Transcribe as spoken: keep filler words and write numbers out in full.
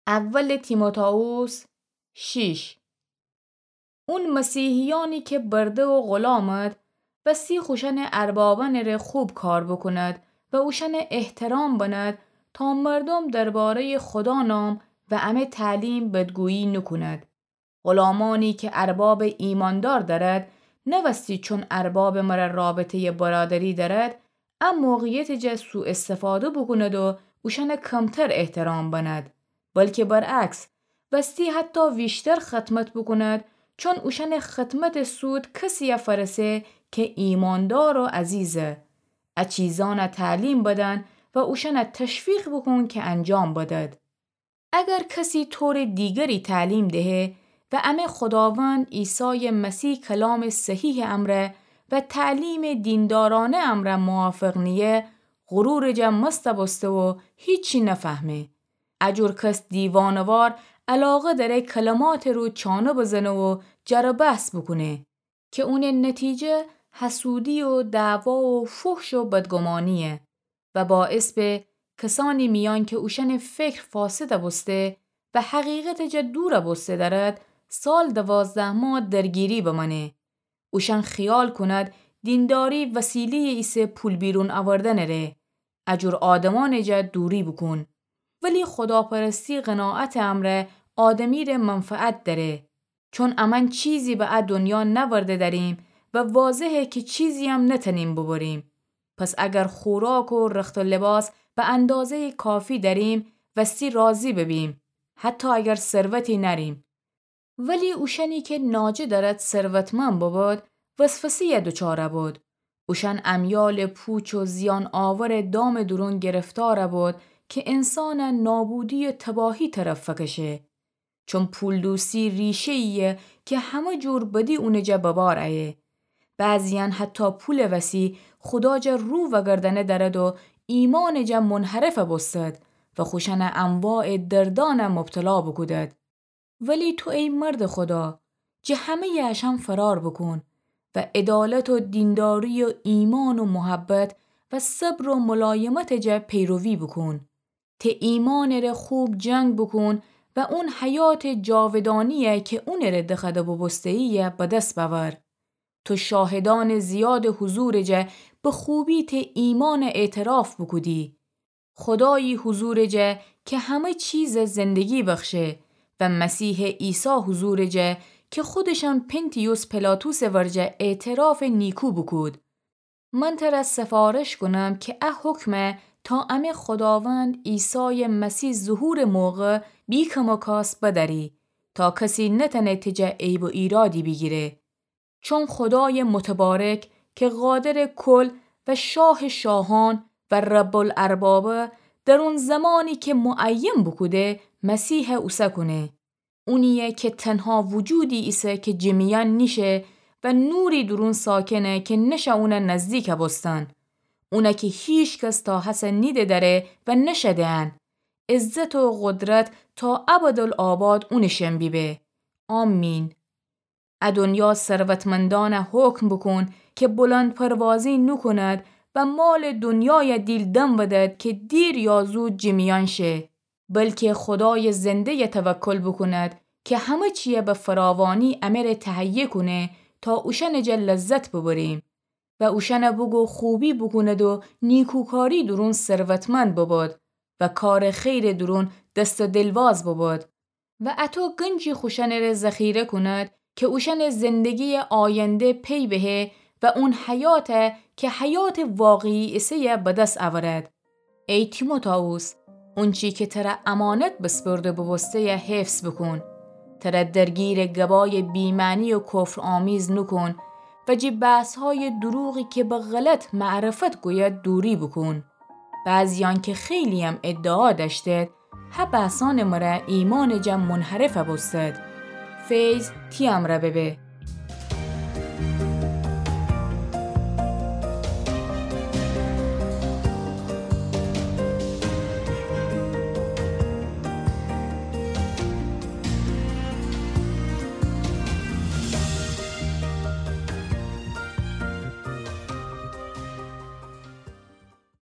اول تیموتائوس شیش. اون مسیحیانی که برده و غلامد، وستی خوشأنٚ اربابأنٚره خوب کار بوکوند و اوشأنه احترام بنید تا مردم دربارهٔ خدا نام و امه تعلیم بدگویی نوکوند. غلامانی که اربابٚ ایماندار دأرد، نوستی چون اربابٚ مره رابطهٔ برادری دأرد، ا موقعیتٚ جا سوء استفاده بوکوند و اوشأنه کمتر احترام بنید، بلکه برعکس، وستی حتی ویشتر خدمت بوکوند، چون اوشأنٚ خدمتٚ سود کسیه فأرسه که ایماندار و عزیزه. ا چیزأنه تعلیم بدن و اوشأنه تشویق بوکون که انجام بدید. اگر کسی طورٚ دیگری تعلیم دهه و امه خوداوند عیسایٚ مسیح کلامٚ صحیحٚ امرأ و تعلیمٚ دیندارأنه امرأ موافق نییه، غرورٚ جا مست بوسته و هیچی نفهمه. ا جور کس دیوانه‌وار علاقه دأره کلماتٚ رو چانه بزنه و جر و بحث بوکونه که اونٚ نتیجه حسودی و دعوا و فحش و بدگمانییه و باعث به کسأنی میأن که اوشأنٚ فکر فاسد بوسته و حقیقتٚ جا دور بوسته دأرد، سال دوازده ماه درگیری بمأنه. اوشأن خیال کند دینداری وسیله‌یٚ ایسه پول بیرون اوردنٚره. ا جور آدمأنٚ جا دوری بوکون. ولی خداپرستی قناعتٚ امرأ آدمیره منفعت دأره. چون امأن چیزی به ا دنیا نأورده دأریم و واضحه که چیزییم نتأنیم ببریم. پس اگر خوراک و رخت و لباس به اندازه‌یٚ کافی دأریم، وستی راضی ببیم، حتی اگر ثروتی نأریم. ولی اوشأنی که ناجه دأرد ثروتمند ببود، وسوسه‌یٚ دچار بود. اوشأن امیالٚ پوچ و زیان آورٚ دامٚ دورون گرفتار بود که انسانٚ نابودی و تباهی طرف فکشه. چون پول‌دوستی ریشه‌یییه که همه جور بدی اونٚ جا ببار ایه. بعضیأن حتی پولٚ وسی خدا جا رو وگردأنه دأرد و ایمانٚ جا منحرف بوستد و خوشأنٚ انواعٚ دردأنٚ مبتلا بوکودد. ولی تو ای مردٚ خدا، جٚه همه‌یٚ اشأن فرار بوکون و عدالت و دینداری و ایمان و محبت و صبر و ملایمتٚ جا پیروی بوکون. ته ایمانٚ ره خوب جنگ بوکون و اون حیاتٚ جاودانییه که اونٚ ره دخوأده بوبوسته‌یییه به دس بأور. تو شاهدأنٚ زیادٚ حضورٚ جا به خوبی ته ایمانٚ اعتراف بوکودی. خودایٚ حضورٚ جا که همه چیزٚ زندگی بخشه و مسیحٚ عیسی حضورٚ جا که خودشم پنطیوس پیلاطسٚ ورجه اعترافٚ نیکو بوکود. من تره سفارش کونم که ا حکمه تا امه خوداوند عیسایٚ مسیح ظهورٚ موقع بی‌کم و کاس بدأری تا کسی نتأنه ته جا عیب و ایرادی بیگیره. چون خودایٚ متبارک که قادرٚ کل و شاهٚ شاهان و رب‌الاربابه، در اون زمانی که معین بوکوده مسیحه اوسه کونه. اونییه که تنها وجودی ایسه که جٚه میأن نیشه و نوری دورون ساکنه که نشه اونه نزدیک بوستن. اونه که هیکس تا هسه نیده دأره و نشه دئن. عزت و قدرت تا ابدالآباد اونٚ شن بیبه. آمین. ا دنیا ثروتمندأنه حکم بوکون که بلندپروازی نوکوند و مالٚ دنیایه دیل دم بدد که دیر یا زود جٚه میأن شه. بلکه خودایٚ زنده‌یه توکل بوکوند که همه چییه به فراوانی امره تهیه کونه تا اوشأنٚ جا لذت ببریم. و اوشأنه بوگو خوبی بوکوند و نیکوکاری دورون ثروتمند ببود و کارٚ خیرٚ دورون دست و دلواز ببود. و اطو گنجی خوشأنٚ ره ذخیره کونید که اوشأنٚ زندگییٚ آینده پی بهه و اون حیاته که حیاتٚ واقعی ایسه‌یه به دس اورید. ای تیموتائوس، اونچی که تره امانت بسپرده بوبوسته‌یه حفظ بوکون. تره درگیرٚ گبایٚ بی‌معنی و کفرآمیز نوکون و جٚه بحث‌هایٚ دروغی که به غلط معرفت گوید دوری بوکون. بعضیأن که خیلییم ادعا دأشتید، هه بحثأنٚ مره ایمانٚ جا منحرف بوستید. فیض تی امرأ ببه.